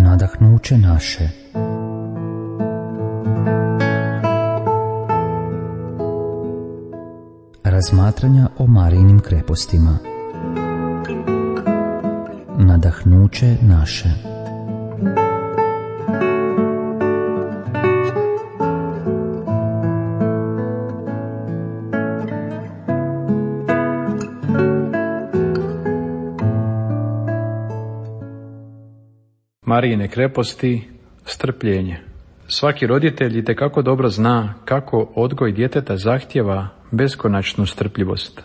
Nadahnuće naše. Razmatranja o Marijinim krepostima. Nadahnuće naše. Marijine kreposti, strpljenje. Svaki roditelj itekako dobro zna kako odgoj djeteta zahtijeva beskonačnu strpljivost.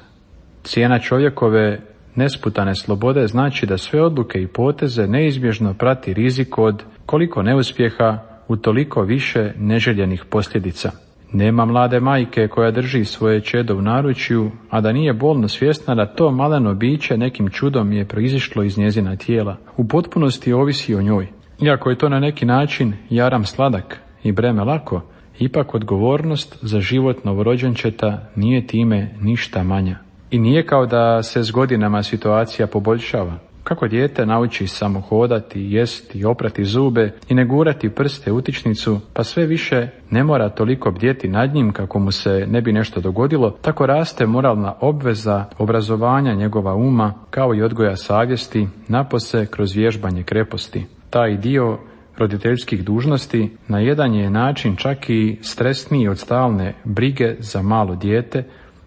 Cijena čovjekove nesputane slobode znači da sve odluke i poteze neizbježno prati rizik od koliko neuspjeha u toliko više neželjenih posljedica. Nema mlade majke koja drži svoje čedo u naručju, a da nije bolno svjesna da to maleno biće nekim čudom je proizišlo iz njezina tijela. U potpunosti ovisi o njoj. Iako je to na neki način jaram sladak i breme lako, ipak odgovornost za život novorođenčeta nije time ništa manja. I nije kao da se s godinama situacija poboljšava. Kako dijete nauči samo hodati, jesti, oprati zube i ne gurati prste u utičnicu, pa sve više ne mora toliko bdjeti nad njim kako mu se ne bi nešto dogodilo, tako raste moralna obveza obrazovanja njegova uma, kao i odgoja savjesti, napose kroz vježbanje kreposti. Taj dio roditeljskih dužnosti na jedan je način čak i stresniji od stalne brige za malo dijete,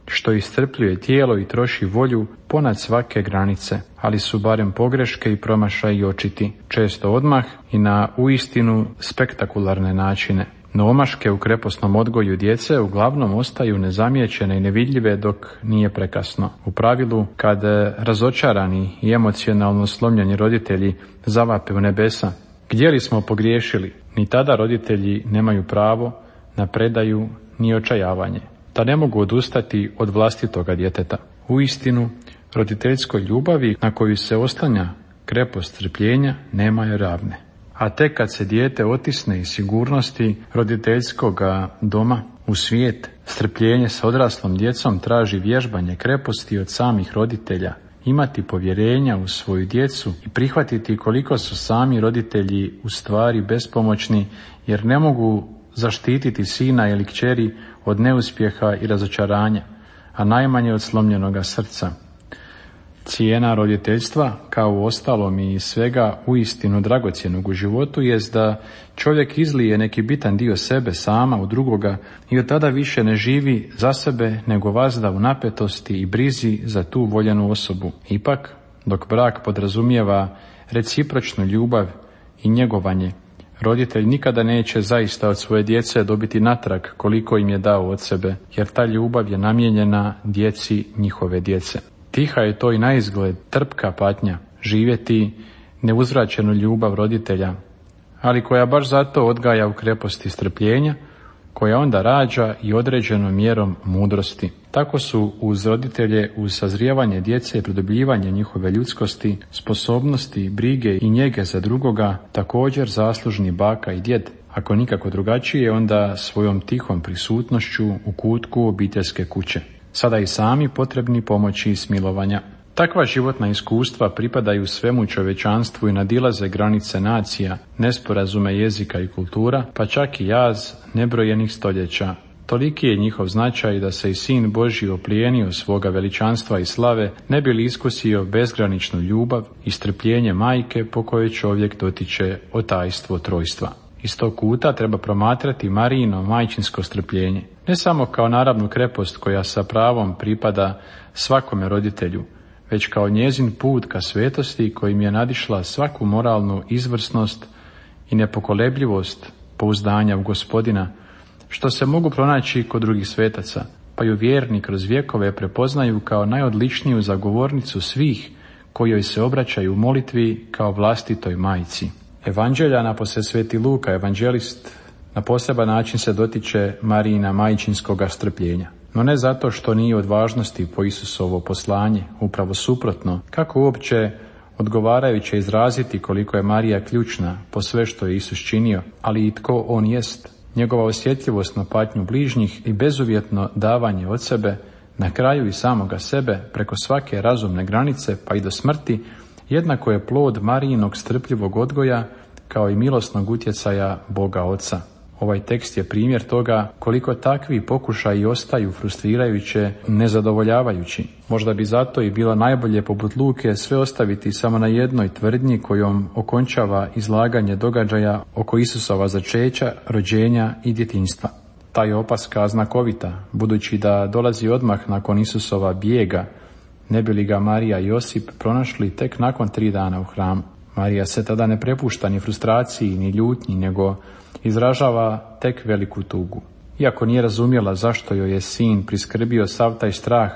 što iscrpljuje tijelo i troši volju ponad svake granice, ali su barem pogreške i promašaji očiti, često odmah i na uistinu spektakularne načine. No omaške u kreposnom odgoju djece uglavnom ostaju nezamijećene i nevidljive dok nije prekasno. U pravilu, kad razočarani i emocionalno slomljeni roditelji zavape u nebesa, gdje li smo pogriješili, ni tada roditelji nemaju pravo na predaju ni očajavanje, da ne mogu odustati od vlastitoga djeteta. Uistinu, roditeljskoj ljubavi na koju se oslanja krepost strpljenja nema je ravne. A tek kad se dijete otisne iz sigurnosti roditeljskoga doma u svijet, strpljenje sa odraslom djecom traži vježbanje kreposti od samih roditelja, imati povjerenja u svoju djecu i prihvatiti koliko su sami roditelji u stvari bespomoćni, jer ne mogu zaštititi sina ili kćeri od neuspjeha i razočaranja, a najmanje od slomljenoga srca. Cijena roditeljstva, kao u ostalom i svega uistinu dragocjenog u životu, jest da čovjek izlije neki bitan dio sebe sama u drugoga i od tada više ne živi za sebe, nego vazda u napetosti i brizi za tu voljenu osobu. Ipak, dok brak podrazumijeva recipročnu ljubav i njegovanje, roditelj nikada neće zaista od svoje djece dobiti natrag koliko im je dao od sebe, jer ta ljubav je namijenjena djeci njihove djece. Tiha je to i naizgled trpka patnja, živjeti neuzvraćenu ljubav roditelja, ali koja baš zato odgaja u kreposti strpljenja, koja onda rađa i određenom mjerom mudrosti. Tako su uz roditelje, uz sazrijevanje djece i pridobljivanje njihove ljudskosti, sposobnosti, brige i njege za drugoga također zaslužni baka i djed, ako nikako drugačije onda svojom tihom prisutnošću u kutku obiteljske kuće. Sada i sami potrebni pomoći i smilovanja. Takva životna iskustva pripadaju svemu čovječanstvu i nadilaze granice nacija, nesporazume jezika i kultura, pa čak i jaz nebrojenih stoljeća. Toliki je njihov značaj da se i Sin Božji oplijenio svoga veličanstva i slave, ne bi li iskusio bezgraničnu ljubav i strpljenje majke po kojoj čovjek dotiče otajstvo trojstva. Iz tog kuta treba promatrati Marijino majčinsko strpljenje, ne samo kao naravnu krepost koja sa pravom pripada svakome roditelju, već kao njezin put ka svetosti kojim je nadišla svaku moralnu izvrsnost i nepokolebljivost pouzdanja u Gospodina, što se mogu pronaći kod drugih svetaca, pa ju vjerni kroz vjekove prepoznaju kao najodličniju zagovornicu svih koji joj se obraćaju u molitvi kao vlastitoj majci. Evanđelja, napose Sveti Luka, evanđelist, na poseban način se dotiče Marijina majčinskoga strpljenja. No ne zato što nije od važnosti po Isusovo poslanje, upravo suprotno, kako uopće odgovarajuće izraziti koliko je Marija ključna po sve što je Isus činio, ali i tko on jest. Njegova osjetljivost na patnju bližnjih i bezuvjetno davanje od sebe, na kraju i samoga sebe, preko svake razumne granice pa i do smrti, jednako je plod Marijinog strpljivog odgoja kao i milosnog utjecaja Boga Oca. Ovaj tekst je primjer toga koliko takvi pokušaji ostaju frustrirajuće, nezadovoljavajući. Možda bi zato i bilo najbolje poput Luke sve ostaviti samo na jednoj tvrdnji kojom okončava izlaganje događaja oko Isusova začeća, rođenja i djetinjstva. Ta je opaska znakovita, budući da dolazi odmah nakon Isusova bijega, ne bi li ga Marija i Josip pronašli tek nakon 3 dana u hramu. Marija se tada ne prepušta ni frustraciji, ni ljutnji, nego izražava tek veliku tugu. Iako nije razumjela zašto joj je sin priskrbio sav taj strah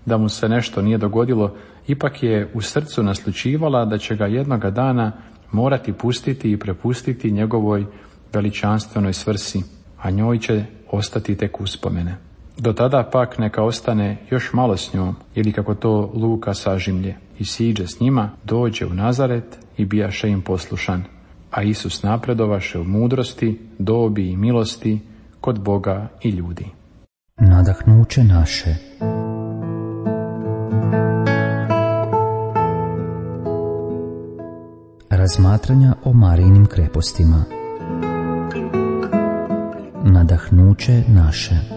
da mu se nešto nije dogodilo, ipak je u srcu naslućivala da će ga jednoga dana morati pustiti i prepustiti njegovoj veličanstvenoj svrsi, a njoj će ostati tek uspomene. Do tada pak neka ostane još malo s njom, ili kako to Luka sažimlje, i siđe s njima, dođe u Nazaret i bijaše im poslušan. A Isus napredovaše u mudrosti, dobi i milosti kod Boga i ljudi. Nadahnuće naše. Razmatranja o Marijinim krepostima. Nadahnuće naše.